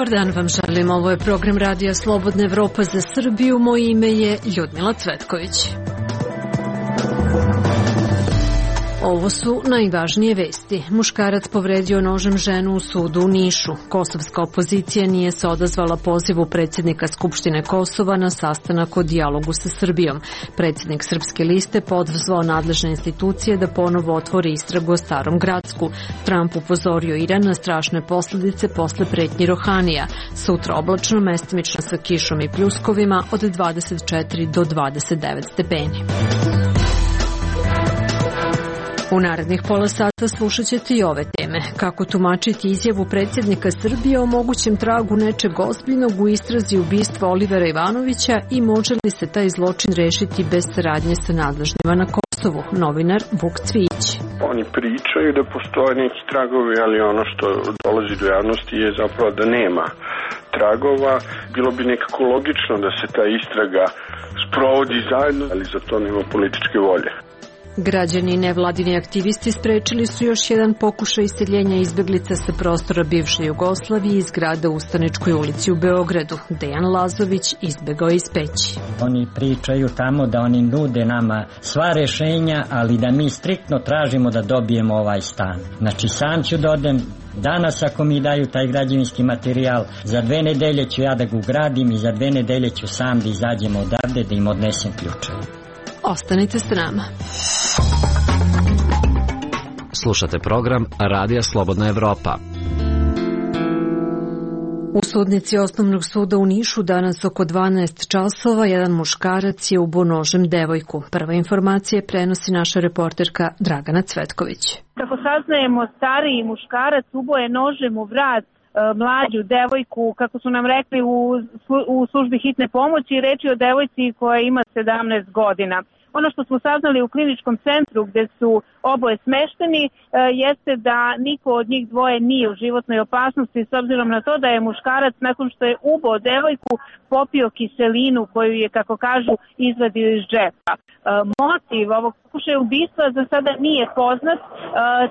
Dobar dan vam želim, ovo je program Radija Slobodna Evropa za Srbiju, moje ime je Ljudmila Cvetković. Ovo su najvažnije vesti. Muškarac povredio nožem ženu u sudu u Nišu. Kosovska opozicija nije se odazvala pozivu predsjednika Skupštine Kosova na sastanak o dijalogu sa Srbijom. Predsjednik Srpske liste pozvao nadležne institucije da ponovo otvori istragu o Starom Gracku. Trump upozorio Iran na strašne posljedice posle pretnji Rohanija. Sutra oblačno, mestimično sa kišom i pljuskovima od 24 do 29 stepeni. U narednih pola sata slušat ćete i ove teme. Kako tumačiti izjavu predsjednika Srbije o mogućem tragu nečeg ozbiljnog u istrazi ubistva Olivera Ivanovića i može li se taj zločin rešiti bez saradnje sa nadležnima na Kosovu? Novinar Vuk Cvijić. Oni pričaju da postoje neki tragovi, ali ono što dolazi do javnosti je zapravo da nema tragova. Bilo bi nekako logično da se ta istraga sprovodi zajedno, ali za to nema političke volje. Građani i nevladini aktivisti sprečili su još jedan pokušaj iseljenja izbeglica sa prostora bivše Jugoslavije iz grada u Ustaničkoj ulici u Beogradu. Dejan Lazović izbegao iz Peći. Oni pričaju tamo da oni nude nama sva rešenja, ali da mi striktno tražimo da dobijemo ovaj stan. Znači sam ću da odem danas ako mi daju taj građevinski materijal, za 2 nedelje ću ja da ga ugradim i za 2 nedelje ću sam da izađem odavde da im odnesem ključeve. Ostanite s nama. Slušate program Radija Slobodna Evropa. U sudnici Osnovnog suda u Nišu danas oko 12 časova jedan muškarac je ubio nožem devojku. Prva informacija prenosi naša reporterka Dragana Cvetković. Kako saznajemo, stariji muškarac ubio je nožem u vrat mlađu devojku, kako su nam rekli u službi hitne pomoći, reč je o devojci koja ima 17 godina. Ono što smo saznali u kliničkom centru gde su oboje smešteni jeste da niko od njih dvoje nije u životnoj opasnosti s obzirom na to da je muškarac nakon što je ubio devojku popio kiselinu koju je, kako kažu, izvadio iz džepa. Motiv ovog pokušaja ubistva za sada nije poznat,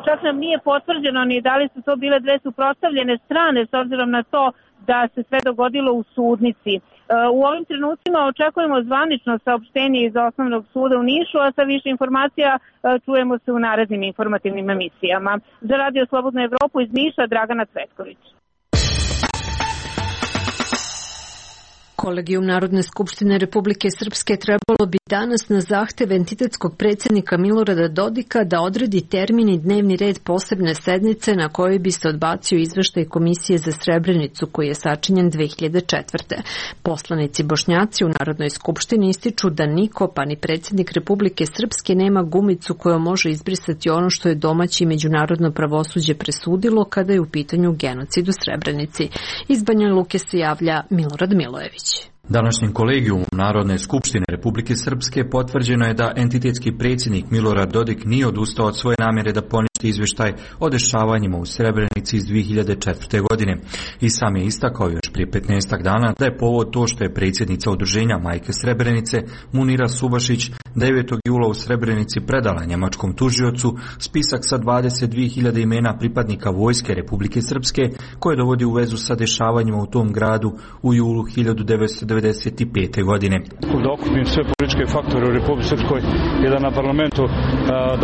čak nam nije potvrđeno ni da li su to bile dve suprotstavljene strane s obzirom na to da se sve dogodilo u sudnici. U ovim trenucima očekujemo zvanično saopštenje iz Osnovnog suda u Nišu, a sa više informacija čujemo se u narednim informativnim emisijama. Za Radio Slobodnu Evropu iz Niša, Dragana Cvetković. Kolegijum Narodne skupštine Republike Srpske trebalo bi danas na zahtev entitetskog predsjednika Milorada Dodika da odredi termin i dnevni red posebne sednice na kojoj bi se odbacio izveštaj Komisije za Srebrenicu koji je sačinjen 2004. Poslanici Bošnjaci u Narodnoj skupštini ističu da niko, pa ni predsjednik Republike Srpske, nema gumicu kojom može izbrisati ono što je domaće i međunarodno pravosuđe presudilo kada je u pitanju genocid u Srebrenici. Iz Banja Luke se javlja Milorad Milojević. Današnjim kolegijumom Narodne skupštine Republike Srpske potvrđeno je da entitetski predsjednik Milorad Dodik nije odustao od svoje namjere da poništi izvještaj o dešavanjima u Srebrenici iz 2004. godine. I sam je istakao još prije 15 dana da je povod to što je predsjednica udruženja Majke Srebrenice Munira Subašić 9. jula u Srebrenici predala njemačkom tužiocu spisak sa 22.000 imena pripadnika vojske Republike Srpske koje dovodi u vezu sa dešavanjima u tom gradu u julu 1995. godine. Da okupim sve političke faktore u Republike Srpskoj i da na parlamentu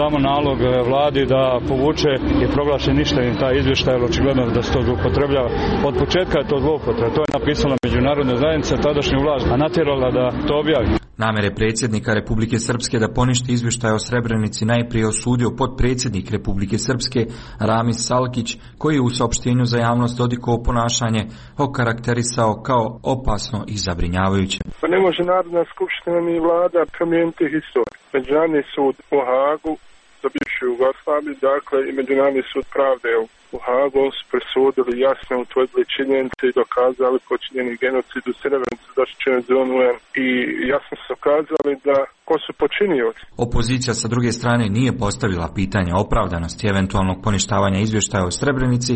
damo nalog vladi da povuče i proglaše ništavim taj izvještaj, jer očigledno da se to zloupotrebljava. Od početka je to zloupotreba. To je napisala međunarodna zajednica, tadašnju vlast, a natjerala da to objavi. Namjere predsjednika Republike Srpske da poništi izvještaj o Srebrenici najprije osudio potpredsjednik Republike Srpske Ramis Salkić, koji je u saopštenju za javnost Dodikovo ponašanje okarakterisao kao opasno i zabrinjavajuće. Pa ne može Narodna skupština ni vlada promijeniti historiju. Međunarodni sud u Hagu za bivšu Jugoslaviju, dakle i Međunarodni sud pravde u Hagu su presudili, jasno utvrdili činjenice i dokazali počinjeni genocid u Srebrenici zaštićene zone UN i jasno su dokazali da ko su počinioci. Opozicija sa druge strane nije postavila pitanje opravdanosti eventualnog poništavanja izvještaja o Srebrenici,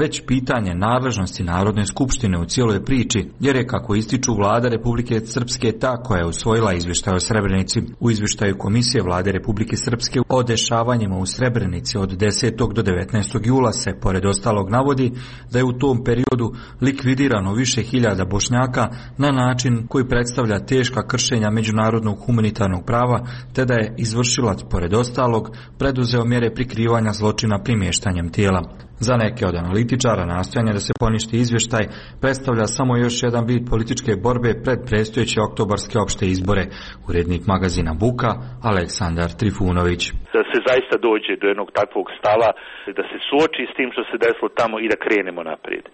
već pitanje nadležnosti Narodne skupštine u cijeloj priči, jer je, kako ističu, vlada Republike Srpske ta koja je usvojila izvještaj o Srebrenici. U izvještaju Komisije vlade Republike Srpske o dešavanjima dešavanjima u Srebrenici od 10. do 19. jula se, pored ostalog, navodi da je u tom periodu likvidirano više hiljada Bošnjaka na način koji predstavlja teška kršenja međunarodnog humanitarnog prava, te da je izvršilac, pored ostalog, preduzeo mjere prikrivanja zločina primještanjem tijela. Za neke od analitičara nastojanje da se poništi izvještaj predstavlja samo još jedan vid političke borbe pred predstojeće oktobarske opšte izbore. Urednik magazina Buka, Aleksandar Trifunović. Da se zaista dođe do jednog takvog stava, da se suoči s tim što se desilo tamo i da krenemo naprijed.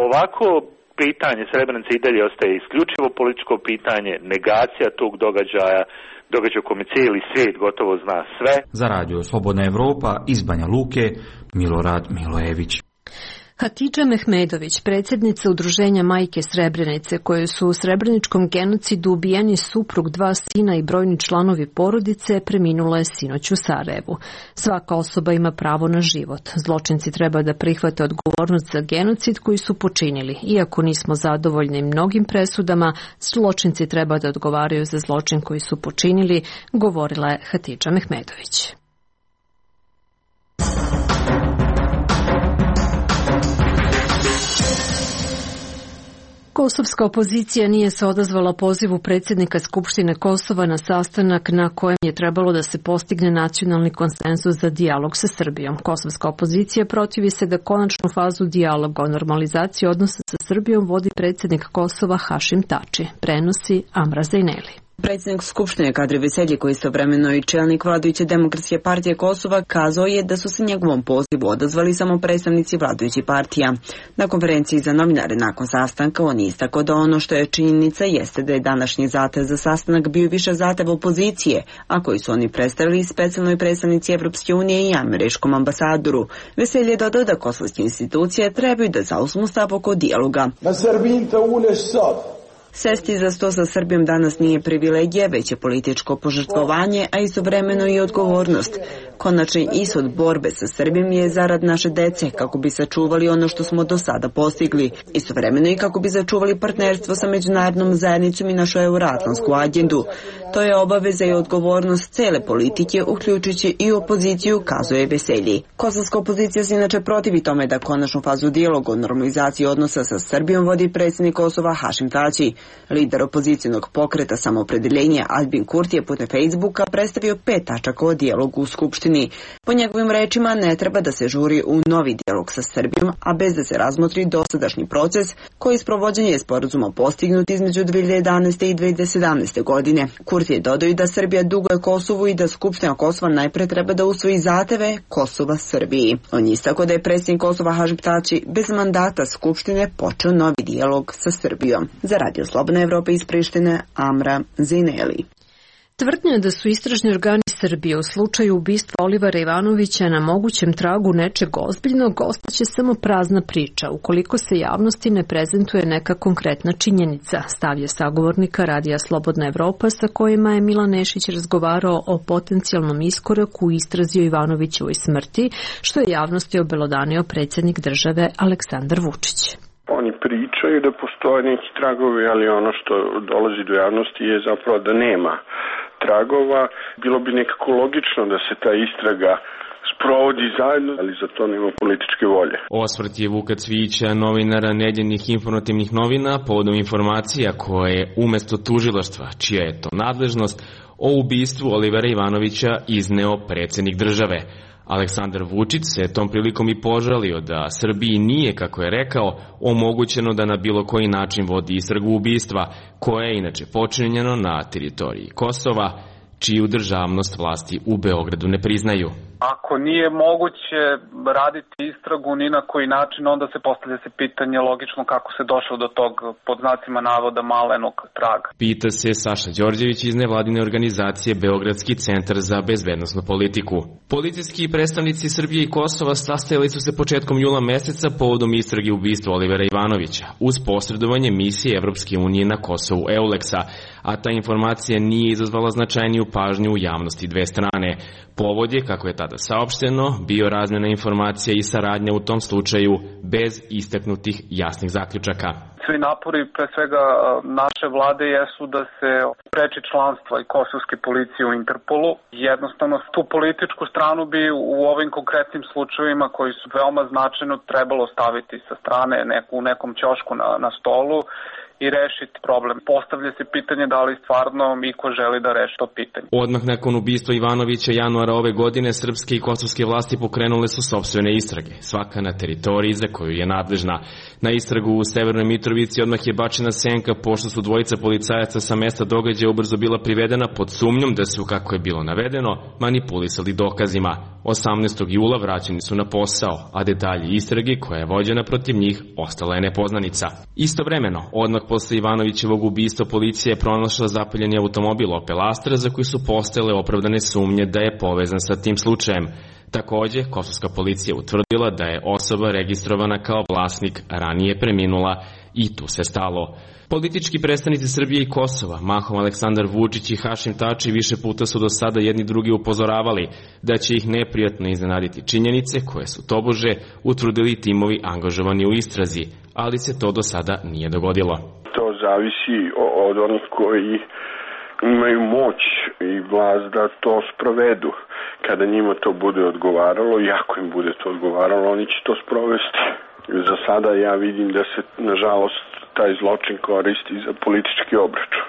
Ovako pitanje Srebrenice i dalje ostaje isključivo političko pitanje, negacija tog događaja o kome cijeli svijet gotovo zna sve. Za radio Slobodna Evropa iz Banja Luke, Milorad Milojević. Hatidža Mehmedović, predsjednica Udruženja Majke Srebrenice, koje su u srebreničkom genocidu ubijeni suprug, 2 sina i brojni članovi porodice, preminula je sinoć u Sarajevu. Svaka osoba ima pravo na život. Zločinci treba da prihvate odgovornost za genocid koji su počinili. Iako nismo zadovoljni mnogim presudama, zločinci treba da odgovaraju za zločin koji su počinili, govorila je Hatidža Mehmedović. Kosovska opozicija nije se odazvala pozivu predsjednika Skupštine Kosova na sastanak na kojem je trebalo da se postigne nacionalni konsenzus za dijalog sa Srbijom. Kosovska opozicija protivi se da konačnu fazu dijaloga o normalizaciji odnosa sa Srbijom vodi predsjednik Kosova Hašim Tači, prenosi Amra Zejneli. Predsjednik Skupštine Kadri Veselji, koji je istovremeno i čelnik vladajuće Demokratske partije Kosova, kazao je da su se njegovom pozivu odazvali samo predstavnici vladajućih partija. Na konferenciji za novinare nakon sastanka on je istakao da ono što je činjenica jeste da je današnji zahtev za sastanak bio više zahtev opozicije, a koji su oni predstavili specijalnoj predstavnici Evropske unije i američkom ambasadoru. Veselji je dodao da kosovske institucije trebaju da zauzmu stav oko dijaloga. Sesti za sto sa Srbijom danas nije privilegija, već je političko požrtvovanje, a istovremeno i odgovornost. Konačni ishod borbe sa Srbijom je zarad naše dece, kako bi sačuvali ono što smo do sada postigli. Istovremeno i kako bi sačuvali partnerstvo sa međunarodnom zajednicom i našu euroatlantsku agendu. To je obaveza i odgovornost cele politike, uključujući i opoziciju, kazuje Veselji. Kosovska opozicija se inače protivi tome da konačnu fazu dijaloga o normalizaciji odnosa sa Srbijom vodi predsjednik Kosova Hašim Tači. Lider opozicijnog pokreta Samoopredeljenja Albin Kurti je putem Facebooka predstavio 5 tačaka o dijalogu u Skupštini. Po njegovim rečima ne treba da se žuri u novi dijalog sa Srbijom, a bez da se razmotri dosadašnji proces koji sprovođenje sporazuma postignut između 2011. i 2017. godine. Kurti je dodao da Srbija duguje Kosovu i da Skupština Kosova najpre treba da usvoji zahteve Kosova Srbiji. On je istakao da je predsjednik Kosova Hašim Tači bez mandata Skupštine počeo novi dijalog sa Srbijom. Za radio Slobodna Evropa iz Prištine, Amra Zejneli. Tvrdnja da su istražni organi Srbije u slučaju ubistva Olivera Ivanovića na mogućem tragu nečeg ozbiljnog ostaće samo prazna priča, ukoliko se javnosti ne prezentuje neka konkretna činjenica, stavlja sagovornika Radija Slobodna Evropa sa kojima je Milan Nešić razgovarao o potencijalnom iskoraku u istrazi o Ivanovićevoj smrti, što je javnosti obelodanio predsjednik države Aleksandar Vučić. Oni pričaju da postoje neki tragovi, ali ono što dolazi do javnosti je zapravo da nema tragova. Bilo bi nekako logično da se ta istraga sprovodi zajedno, ali za to nema političke volje. Osvrt je Vuka Cvijića, novinara Nedjeljnih informativnih novina, povodom informacija koje umesto tužilaštva, čija je to nadležnost, o ubistvu Olivera Ivanovića izneo predsjednik države. Aleksandar Vučić se tom prilikom i požalio da Srbiji nije, kako je rekao, omogućeno da na bilo koji način vodi istragu ubistva, koje je inače počinjeno na teritoriji Kosova, čiju državnost vlasti u Beogradu ne priznaju. Ako nije moguće raditi istragu ni na koji način, onda se postavlja se pitanje logično kako se došlo do tog, pod znacima navoda, malenog traga. Pita se Saša Đorđević iz nevladine organizacije Beogradski centar za bezbednosnu politiku. Policijski predstavnici Srbije i Kosova sastajali su se početkom jula meseca povodom istrage ubistva Olivera Ivanovića, uz posredovanje misije Evropske unije na Kosovu EULEX-a, a ta informacija nije izazvala značajniju pažnju u javnosti dve strane. Povod je, kako je tada saopšteno, bio razmjena informacija i saradnja u tom slučaju bez istaknutih jasnih zaključaka. Svi napori, pre svega naše vlade, jesu da se spreči članstva i kosovske policije u Interpolu. Jednostavno, tu političku stranu bi u ovim konkretnim slučajevima koji su veoma značajno trebalo staviti sa strane u nekom ćošku na stolu i rešiti problem. Postavlja se pitanje da li stvarno iko želi da reši to pitanje. Odmah nakon ubistva Ivanovića januara ove godine, srpske i kosovske vlasti pokrenule su sopstvene istrage, svaka na teritoriji za koju je nadležna. Na istragu u Severnoj Mitrovici odmah je bačena senka, pošto su dvojica policajaca sa mesta događaja ubrzo bila privedena pod sumnjom da su, kako je bilo navedeno, manipulisali dokazima. 18. jula vraćeni su na posao, a detalji istrage koja je vođena protiv njih ostala je nepoznanica. Istovremeno, odmah posle Ivanovićevog ubistva, policija je pronašla zapaljeni automobil Opel Astra za koji su postojale opravdane sumnje da je povezan sa tim slučajem. Takođe, kosovska policija utvrdila da je osoba registrovana kao vlasnik ranije preminula i tu se stalo. Politički predstavnici Srbije i Kosova, mahom Aleksandar Vučić i Hašim Tači, više puta su do sada jedni drugi upozoravali da će ih neprijatno iznenaditi činjenice koje su tobože utvrdili timovi angažovani u istrazi, ali se to do sada nije dogodilo. To zavisi od onih koji imaju moć i vlast da to sprovedu. Kada njima to bude odgovaralo, i ako im bude to odgovaralo, oni će to sprovesti. Za sada ja vidim da se, nažalost, taj zločin koristi za politički obračun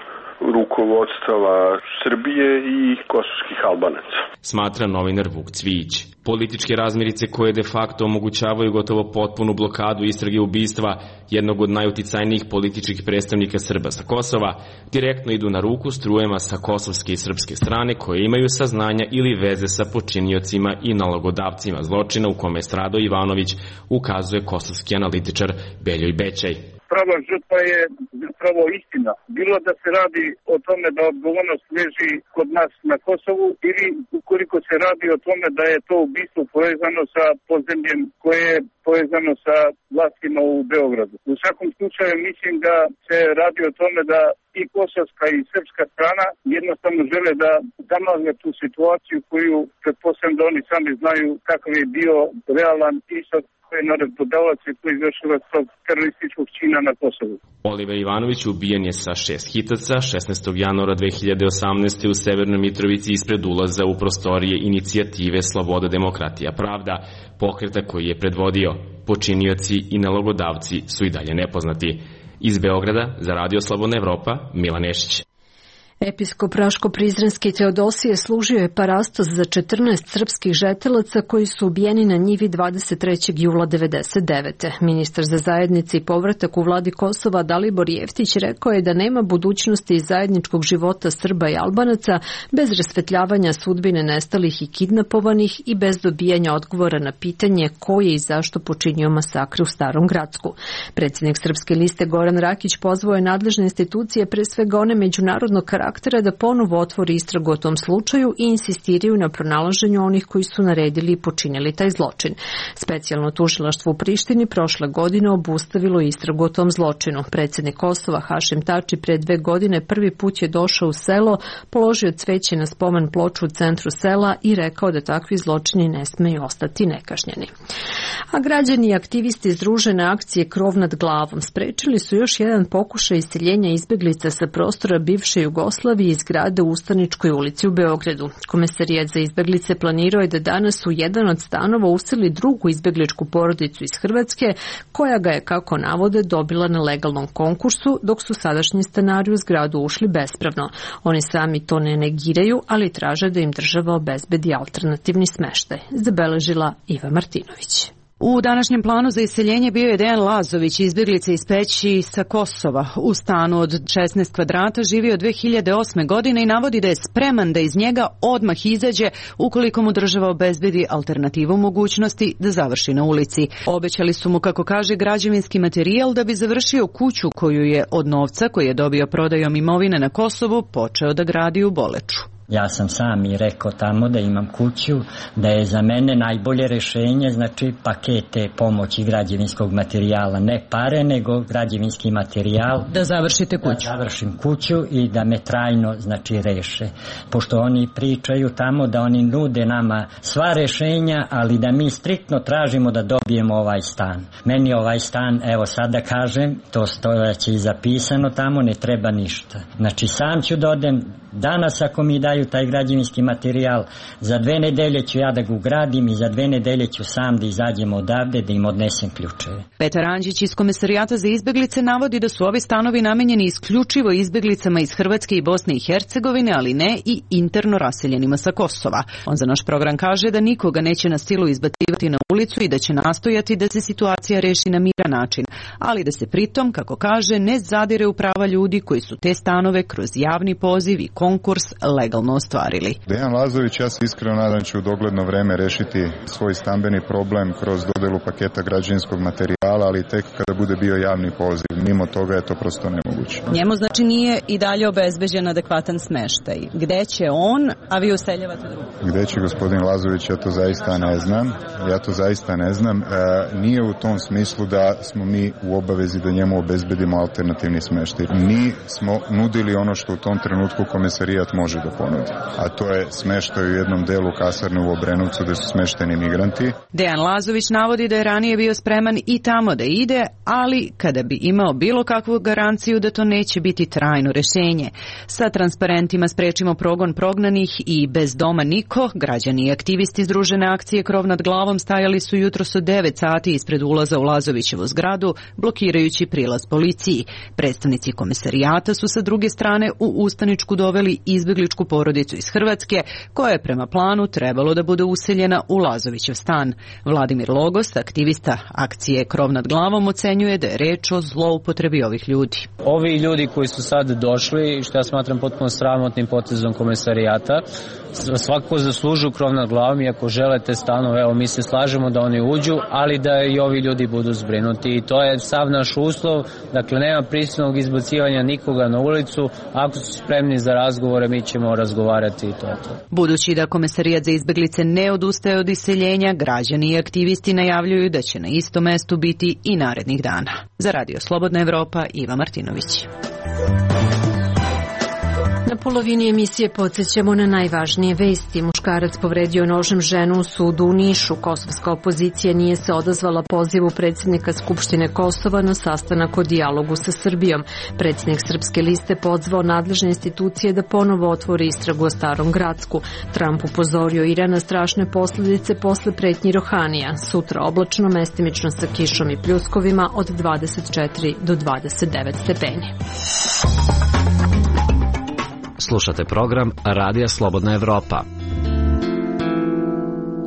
rukovodstava Srbije i kosovskih Albanaca, smatra novinar Vuk Cvijić. Političke razmirice koje de facto omogućavaju gotovo potpunu blokadu istrage ubistva jednog od najuticajnijih političkih predstavnika Srba sa Kosova direktno idu na ruku strujama sa kosovske i srpske strane koje imaju saznanja ili veze sa počiniocima i nalogodavcima zločina u kome je stradao Ivanović, ukazuje kosovski analitičar Beljoj Bećaj. Prava žrtva je zapravo istina. Bilo da se radi o tome da odgovornost leži kod nas na Kosovu ili ukoliko se radi o tome da je to ubistvo povezano sa podzemljem koje je povezano sa vlastima u Beogradu. U svakom slučaju mislim da se radi o tome da i kosovska i srpska strana jednostavno žele da zamagle tu situaciju koju pretpostavljam da oni sami znaju kakav je bio realan ishod koji je naredbodavac i koji izvršilac tog terorističkog čina na Kosovu. Oliver Ivanović ubijen je sa 6 hitaca 16. januara 2018. u Severnoj Mitrovici ispred ulaza u prostorije inicijative Sloboda, demokratija, pravda, pokreta koji je predvodio. Počinioci i nalogodavci su i dalje nepoznati. Iz Beograda za Radio Slobodna Evropa, Milan Nešić. Episkop Raško-Prizrenski Teodosije služio je parastos za 14 srpskih žetelaca koji su ubijeni na njivi 23. jula 1999. Ministar za zajednice i povratak u vladi Kosova Dalibor Jeftić rekao je da nema budućnosti zajedničkog života Srba i Albanaca bez rasvetljavanja sudbine nestalih i kidnapovanih i bez dobijanja odgovora na pitanje ko je i zašto počinio masakre u Starom Gracku. Predsjednik Srpske liste Goran Rakić pozvao je nadležne institucije, pre svega one međunarodnog karaktera, da ponovo otvori istragu o tom slučaju i insistiraju na pronalaženju onih koji su naredili i počinili taj zločin. Specijalno tužilaštvo u Prištini prošle godine obustavilo istragu o tom zločinu. Predsjednik Kosova Hašim Tači pre 2 godine prvi put je došao u selo, položio cveće na spomen ploču u centru sela i rekao da takvi zločini ne smeju ostati nekažnjeni. A građani i aktivisti Združene akcije Krov nad glavom sprečili su još jedan pokušaj iseljenja izbeglica sa prostora bivše Jugoslavije iz zgrade u Ustaničkoj ulici u Beogradu. Komesarijat za izbeglice planirao je da danas u jedan od stanova useli drugu izbegličku porodicu iz Hrvatske, koja ga je, kako navode, dobila na legalnom konkursu, dok su sadašnji stanari u zgradu ušli bespravno. Oni sami to ne negiraju, ali traže da im država obezbedi alternativni smeštaj, zabeležila Iva Martinović. U današnjem planu za iseljenje bio je Dejan Lazović, izbjeglica iz Peći sa Kosova. U stanu od 16 kvadrata živio 2008. godine i navodi da je spreman da iz njega odmah izađe ukoliko mu država obezbedi alternativu mogućnosti da završi na ulici. Obećali su mu, kako kaže, građevinski materijal da bi završio kuću koju je od novca koji je dobio prodajom imovine na Kosovu počeo da gradi u Boleču. Ja sam sam i rekao tamo da imam kuću, da je za mene najbolje rešenje, znači pakete pomoći građevinskog materijala, ne pare, nego građevinski materijal. Da završite kuću. Da završim kuću i da me trajno, znači, reše. Pošto oni pričaju tamo da oni nude nama sva rešenja, ali da mi striktno tražimo da dobijemo ovaj stan. Meni ovaj stan, evo sad da kažem, to stojeće i zapisano tamo, ne treba ništa. Znači sam ću da odem, danas ako mi daju taj građevinski materijal, za 2 nedelje ću ja da ga ugradim i za 2 nedelje ću sam da izađem odavde, da im odnesem ključeve. Petar Anđić iz Komesarijata za izbeglice navodi da su ovi stanovi namenjeni isključivo izbeglicama iz Hrvatske i Bosne i Hercegovine, ali ne i interno raseljenima sa Kosova. On za naš program kaže da nikoga neće na silu izbacivati na ulicu i da će nastojati da se situacija reši na miran način, ali da se pritom, kako kaže, ne zadire u prava ljudi koji su te stanove kroz javni poziv i konkurs legalno ostvarili. Dejan Lazović, ja se iskreno nadam će u dogledno vreme rešiti svoj stambeni problem kroz dodelu paketa građevinskog materijala, ali tek kada bude bio javni poziv. Mimo toga je to prosto nemoguće. Njemu znači nije i dalje obezbeđen adekvatan smeštaj. Gde će on, a vi useljavate drugo? Gde će gospodin Lazović, ja to zaista ne znam. Nije u tom smislu da smo mi u obavezi da njemu obezbedimo alternativni smeštaj. Mi smo nudili ono što u tom trenutku Komesarijat može da ponudi, a to je smeštaj u jednom delu kasarne u Obrenovcu gde su smešteni migranti. Dejan Lazović navodi da je ranije bio spreman i tamo da ide, ali kada bi imao bilo kakvu garanciju da to neće biti trajno rešenje. Sa transparentima Sprečimo progon prognanih i Bez doma niko, građani i aktivisti Združene akcije Krov nad glavom stajali su jutros od 9 sati ispred ulaza u Lazovićevu zgradu, blokirajući prilaz policiji. Predstavnici Komesarijata su sa druge strane u ustaničku doveli izbegličku porodicu iz Hrvatske, koja je prema planu trebalo da bude useljena u Lazovićev stan. Vladimir Logost, aktivista akcije Krov nad glavom, ocenjuje da je reč o zloupotrebi ovih ljudi. Ovi ljudi koji su sad došli, što ja smatram potpuno sramotnim potezom Komesarijata, svakako zaslužuju krov nad glavom i ako želite stanove, evo mi se slažemo da oni uđu, ali da i ovi ljudi budu zbrinuti i to je sav naš uslov, dakle nema prisilnog izbacivanja nikoga na ulicu, ako su spremni za razgovore mi ćemo razgovarati i to je to. Budući da Komesarijat za izbeglice ne odustaje od iseljenja, građani i aktivisti najavljuju da će na istom mestu biti i narednih dana. Za Radio Slobodna Evropa, Iva Martinović. Na polovini emisije podsjećamo na najvažnije vesti. Muškarac povredio nožem ženu u sudu u Nišu. Kosovska opozicija nije se odazvala pozivu predsjednika Skupštine Kosova na sastanak o dijalogu sa Srbijom. Predsjednik Srpske liste pozvao nadležne institucije da ponovo otvori istragu o Starom Gracku. Trump upozorio Iran na strašne posljedice posle pretnji Rohanija. Sutra oblačno, mestimično sa kišom i pljuskovima od 24 do 29 stepeni. Slušate program Radija Slobodna Evropa.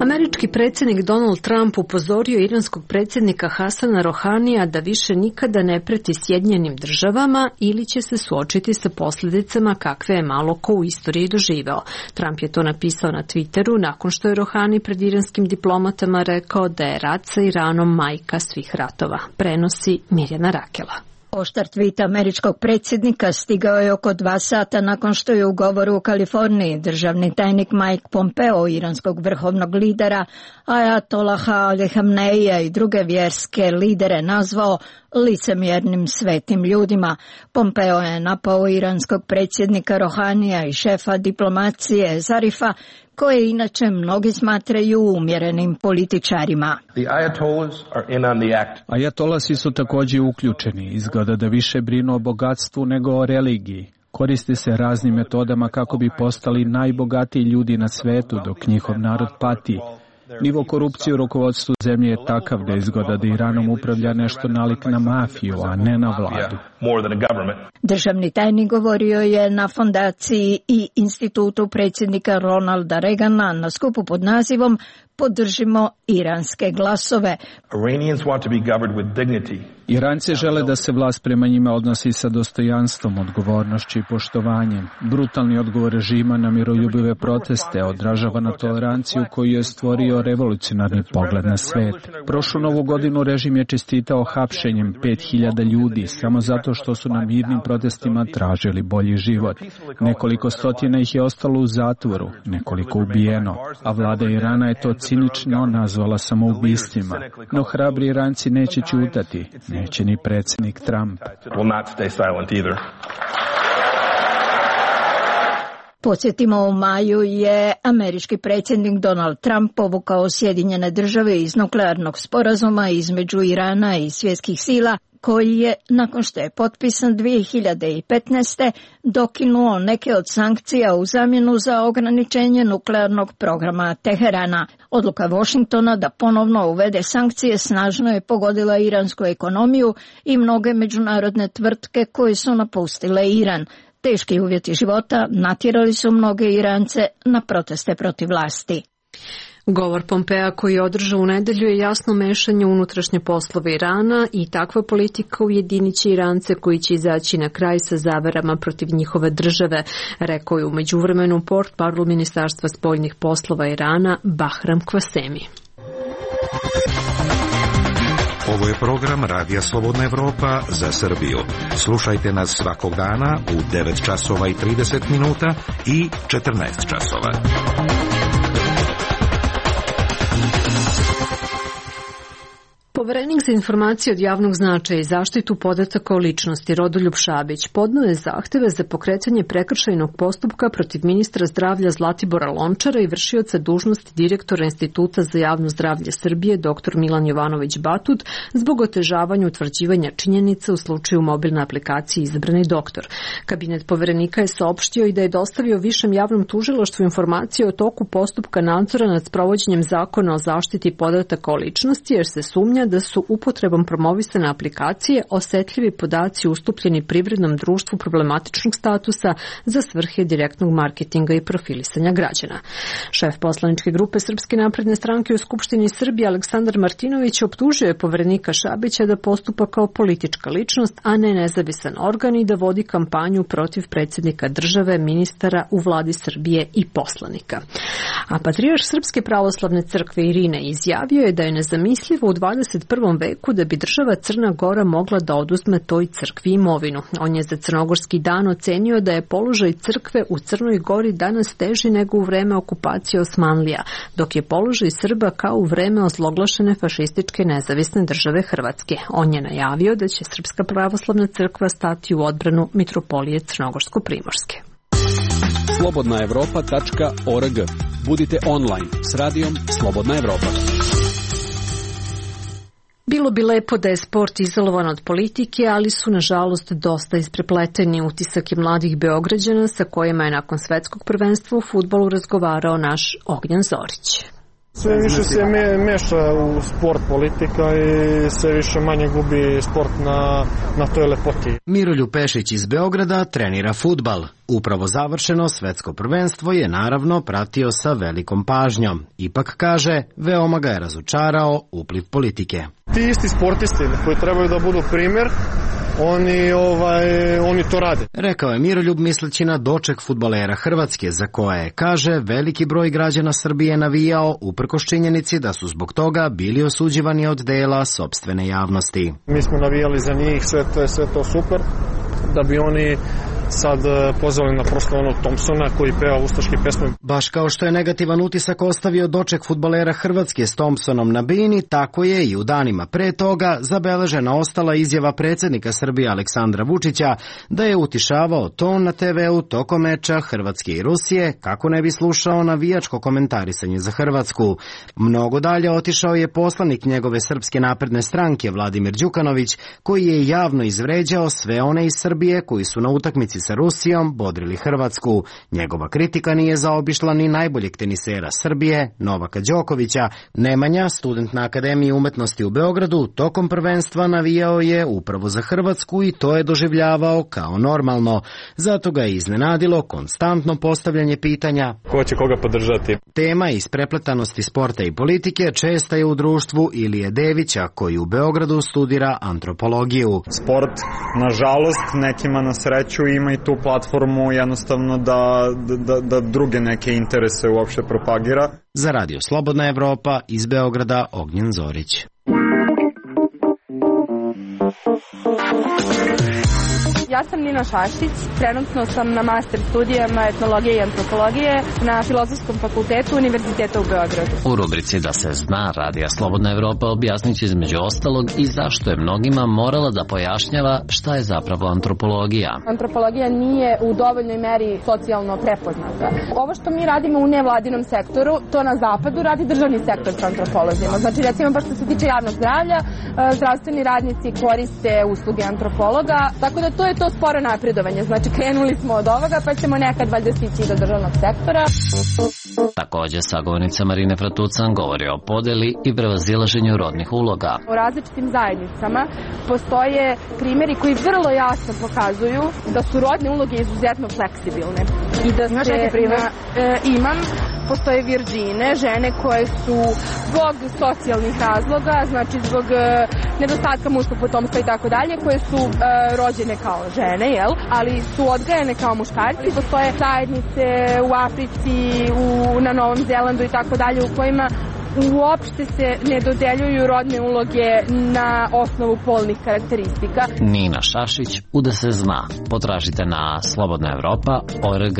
Američki predsjednik Donald Trump upozorio iranskog predsjednika Hasana Rohanija da više nikada ne preti Sjedinjenim državama ili će se suočiti sa posljedicama kakve je malo ko u istoriji doživeo. Trump je to napisao na Twitteru nakon što je Rohani pred iranskim diplomatama rekao da je rat sa Iranom majka svih ratova. Prenosi Mirjana Rakela. Oštar tweet američkog predsjednika stigao je oko 2 sata nakon što je u govoru u Kaliforniji državni tajnik Mike Pompeo iranskog vrhovnog lidera Ajatolaha Ali Khameneija i druge vjerske lidere nazvao licemjernim svetim ljudima. Pompeo je napao iranskog predsjednika Rohanija i šefa diplomacije Zarifa, koje inače mnogi smatraju umjerenim političarima. Ajatolasi su također uključeni, izgleda da više brinu o bogatstvu nego o religiji. Koriste se raznim metodama kako bi postali najbogatiji ljudi na svetu dok njihov narod pati. Nivo korupcije u rukovodstvu zemlje je takav da izgleda da Iranom upravlja nešto nalik na mafiju, a ne na vladu. Državni tajnik govorio je na fondaciji i institutu predsjednika Ronalda Reagana na skupu pod nazivom Podržimo iranske glasove. Iranci žele da se vlast prema njima odnosi sa dostojanstvom, odgovornošću i poštovanjem. Brutalni odgovor režima na miroljubive proteste odražava na toleranciju koju je stvorio revolucionarni pogled na svet. Prošlu novu godinu režim je čestitao hapšenjem 5000 ljudi samo zato što su na mirnim protestima tražili bolji život. Nekoliko stotina ih je ostalo u zatvoru, nekoliko ubijeno, a vlada Irana je to cinično nazvala samoubistvima. No hrabri Iranci neće ćutati, neće ni predsjednik Trump. Podsjetimo, u maju je američki predsjednik Donald Trump povukao Sjedinjene Države iz nuklearnog sporazuma između Irana i svjetskih sila, koji je, nakon što je potpisan 2015. dokinuo neke od sankcija u zamjenu za ograničenje nuklearnog programa Teherana. Odluka Washingtona da ponovno uvede sankcije snažno je pogodila iransku ekonomiju i mnoge međunarodne tvrtke koje su napustile Iran. Teški uvjeti života natjerali su mnoge Irance na proteste protiv vlasti. Govor Pompea koji je održao u nedelju je jasno mešanje u unutrašnje poslove Irana i takva politika ujedinit će Irance koji će izaći na kraj sa zaverama protiv njihove države, rekao je u međuvremenu portparol Ministarstva spoljnih poslova Irana Bahram Kvasemi. Ovo je program Radija Slobodna Evropa za Srbiju. Slušajte nas svakog dana u 9 časova i 30 minuta i 14 časova. Poverenik za informacije od javnog značaja i zaštitu podataka o ličnosti Rodoljub Šabić podneo je zahteve za pokretanje prekršajnog postupka protiv ministra zdravlja Zlatibora Lončara i vršioca dužnosti direktora Instituta za javno zdravlje Srbije dr. Milan Jovanović Batut zbog otežavanja utvrđivanja činjenica u slučaju mobilne aplikacije Izabrani doktor. Kabinet poverenika je saopštio i da je dostavio Višem javnom tužilaštvu informacije o toku postupka nadzora nad sprovođenjem zakona o zaštiti podataka o ličnosti, jer se sumnja da su upotrebom promovisane aplikacije osetljivi podaci ustupljeni privrednom društvu problematičnog statusa za svrhe direktnog marketinga i profilisanja građana. Šef poslaničke grupe Srpske napredne stranke u Skupštini Srbije Aleksandar Martinović optužio je poverenika Šabića da postupa kao politička ličnost, a ne nezavisan organ i da vodi kampanju protiv predsjednika države, ministara u vladi Srbije i poslanika. A patrijarh Srpske pravoslavne crkve Irine izjavio je da je nezamislivo u 21. veku da bi država Crna Gora mogla da oduzme toj crkvi imovinu. On je za Crnogorski dan ocenio da je položaj crkve u Crnoj Gori danas teži nego u vreme okupacije Osmanlija, dok je položaj Srba kao u vreme ozloglašene fašističke nezavisne države Hrvatske. On je najavio da će Srpska pravoslavna crkva stati u odbranu mitropolije Crnogorsko-Primorske. slobodnaevropa.org. Budite online s radijom Slobodna Evropa. Bilo bi lepo da je sport izolovan od politike, ali su nažalost dosta isprepleteni. Utisak je mladih Beograđana sa kojima je nakon svetskog prvenstva u fudbalu razgovarao naš Ognjan Zorić. Sve više se meša u sport politika i sve više manje gubi sport na toj lepoti. Miroljub Pešić iz Beograda trenira fudbal. Upravo završeno svetsko prvenstvo je naravno pratio sa velikom pažnjom. Ipak kaže, veoma ga je razočarao upliv politike. Ti isti sportisti koji trebaju da budu primjer, oni to rade. Rekao je Miroljub misleći na doček fudbalera Hrvatske, za koje, kaže, veliki broj građana Srbije navijao uprkos činjenici da su zbog toga bili osuđivani od dela sopstvene javnosti. Mi smo navijali za njih, sve to super, da bi oni sad pozvali na prosto onog Thompsona koji peva ustaške pesme. Baš kao što je negativan utisak ostavio doček fudbalera Hrvatske s Thompsonom na bini, tako je i u danima pre toga zabeležena ostala izjava predsjednika Srbije Aleksandra Vučića da je utišavao ton na TV-u tokom meča Hrvatske i Rusije kako ne bi slušao navijačko komentarisanje za Hrvatsku. Mnogo dalje otišao je poslanik njegove Srpske napredne stranke Vladimir Đukanović, koji je javno izvređao sve one iz Srbije koji su na utakmici sa Rusijom bodrili Hrvatsku. Njegova kritika nije zaobišla ni najboljeg tenisera Srbije, Novaka Đokovića. Nemanja, student na Akademiji umetnosti u Beogradu, tokom prvenstva navijao je upravo za Hrvatsku i to je doživljavao kao normalno. Zato ga je iznenadilo konstantno postavljanje pitanja ko će koga podržati. Tema isprepletanosti sporta i politike česta je u društvu Ilije Devića, koji u Beogradu studira antropologiju. Sport, nažalost, nekima na sreću ima i tu platformu jednostavno da druge neke interese uopšte propagira. Za Radio Slobodna Evropa iz Beograda Ognjen Zorić. Ja sam Nina Šašić, trenutno sam na master studijama etnologije i antropologije na Filozofskom fakultetu Univerziteta u Beogradu. U rubrici Da se zna Radija Slobodna Evropa objasnit će između ostalog i zašto je mnogima morala da pojašnjava šta je zapravo antropologija. Antropologija nije u dovoljnoj meri socijalno prepoznata. Ovo što mi radimo u nevladinom sektoru, to na zapadu radi državni sektor sa antropolozima. Znači recimo baš što se tiče javnog zdravlja, zdravstveni radnici koriste usluge antropologa, tako da to je to sporo napredovanje. Znači krenuli smo od ovoga pa ćemo nekad valjda stići do državnog sektora. Takođe, sagovornica Marine Fratucan govori o podeli i prevazilaženju rodnih uloga. U različitim zajednicama postoje primjeri koji vrlo jasno pokazuju da su rodne uloge izuzetno fleksibilne. I da imaš neki primjer? Imam. Postoje virđine, žene koje su zbog socijalnih razloga, znači zbog nedostatka muškog potomstva i tako dalje, koje su rođene kao žene, ali su odgajane kao muškarci. Postoje zajednice u Africi, na Novom Zelandu i tako dalje, u kojima uopšte se ne dodeljuju rodne uloge na osnovu polnih karakteristika. Nina Šašić, u Da se zna. Potražite na slobodnaevropa.org.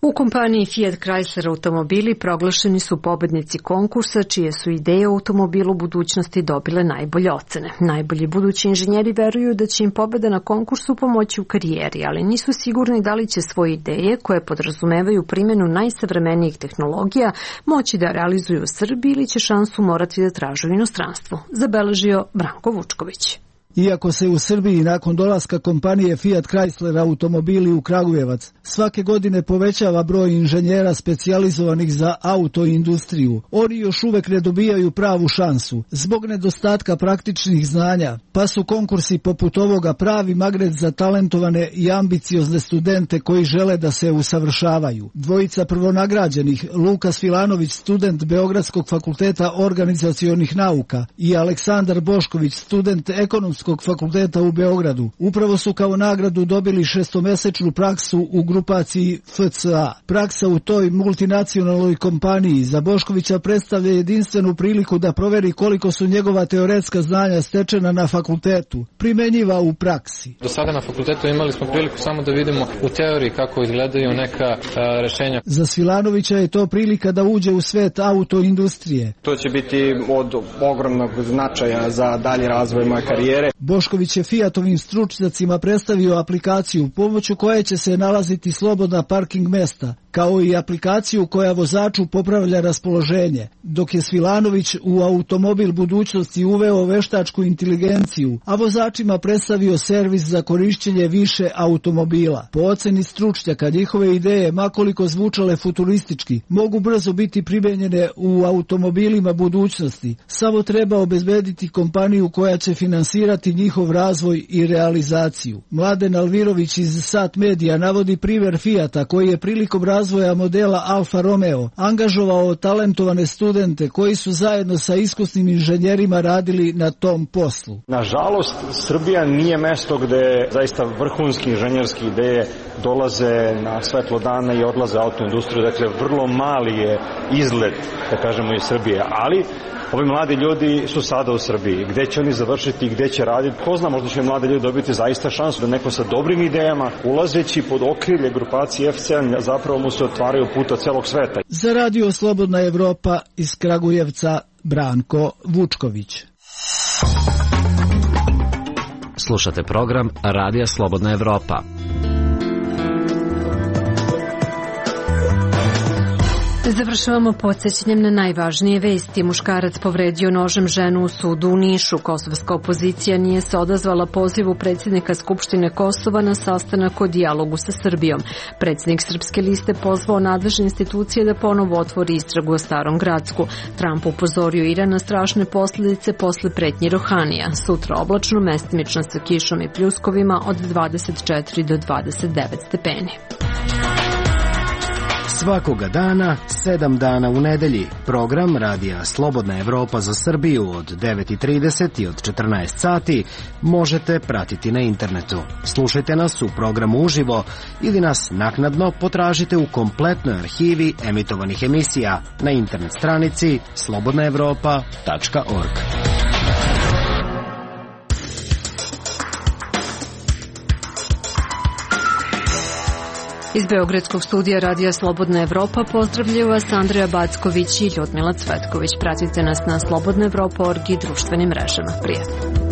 U kompaniji Fiat Chrysler automobili proglašeni su pobednici konkursa čije su ideje o automobilu budućnosti dobile najbolje ocene. Najbolji budući inženjeri veruju da će im pobeda na konkursu pomoći u karijeri, ali nisu sigurni da li će svoje ideje, koje podrazumevaju primjenu najsavremenijih tehnologija, moći da realizuju u Srbiji ili će šansu morati da traže u inostranstvu, zabeležio Branko Vučković. Iako se u Srbiji nakon dolaska kompanije Fiat Chrysler automobili u Kragujevac svake godine povećava broj inženjera specijalizovanih za autoindustriju, oni još uvek ne dobijaju pravu šansu zbog nedostatka praktičnih znanja, pa su konkursi poput ovoga pravi magnet za talentovane i ambiciozne studente koji žele da se usavršavaju. Dvojica prvonagrađenih, Lukas Filanović, student Beogradskog fakulteta organizacionih nauka, i Aleksandar Bošković, student Ekonomskog fakulteta u Beogradu, upravo su kao nagradu dobili 6-mesečnu praksu u grupaciji FCA. Praksa u toj multinacionalnoj kompaniji za Boškovića predstavlja jedinstvenu priliku da proveri koliko su njegova teoretska znanja stečena na fakultetu primenjiva u praksi. Do sada na fakultetu imali smo priliku samo da vidimo u teoriji kako izgledaju neka rešenja. Za Svilanovića je to prilika da uđe u svet autoindustrije. To će biti od ogromnog značaja za dalji razvoj moje karijere. Bošković je Fiatovim stručnjacima predstavio aplikaciju pomoću koje će se nalaziti slobodna parking mesta, kao i aplikaciju koja vozaču popravlja raspoloženje, dok je Svilanović u automobil budućnosti uveo veštačku inteligenciju, a vozačima predstavio servis za korišćenje više automobila. Po oceni stručnjaka, njihove ideje, makoliko zvučale futuristički, mogu brzo biti primenjene u automobilima budućnosti. Samo treba obezbediti kompaniju koja će finansirati njihov razvoj i realizaciju. Mladen Alvirović iz Sat Media navodi primjer Fiata koji je prilikom razvoja modela Alfa Romeo angažovao talentovane studente koji su zajedno sa iskusnim inženjerima radili na tom poslu. Nažalost, Srbija nije mesto gde zaista vrhunski inženjerski ideje dolaze na svetlo dana i odlaze u autoindustriju. Dakle, vrlo mali je izgled, da kažemo, iz Srbije, ali ovi mladi ljudi su sada u Srbiji. Gde će oni završiti i gde će raditi? Ko zna, možda će mladi ljudi dobiti zaista šansu da neko sa dobrim idejama, ulazeći pod okrilje grupacije FCA, zapravo mu se otvaraju puta celog sveta. Za Radio Slobodna Evropa iz Kragujevca, Branko Vučković. Slušate program Radija Slobodna Evropa. Završavamo podsjećanjem na najvažnije vesti. Muškarac povredio nožem ženu u sudu u Nišu. Kosovska opozicija nije se odazvala pozivu predsjednika Skupštine Kosova na sastanak o dijalogu sa Srbijom. Predsjednik Srpske liste pozvao nadležne institucije da ponovo otvori istragu o Starom Gracku. Trump upozorio Iran na strašne posljedice posle pretnji Rohanija. Sutra oblačno, mestimično sa kišom i pljuskovima od 24 do 29 stepeni. Svakoga dana, 7 dana u nedelji. Program Radija Slobodna Evropa za Srbiju od 9:30 i od 14 sati možete pratiti na internetu. Slušajte nas u programu uživo ili nas naknadno potražite u kompletnoj arhivi emitovanih emisija na internet stranici slobodnaevropa.org. Iz Beogradskog studija Radija Slobodna Evropa pozdravljaju vas Andreja Backović i Ljudmila Cvetković. Pratite nas na slobodnaevropa.org i društvenim mrežama. Prijatno.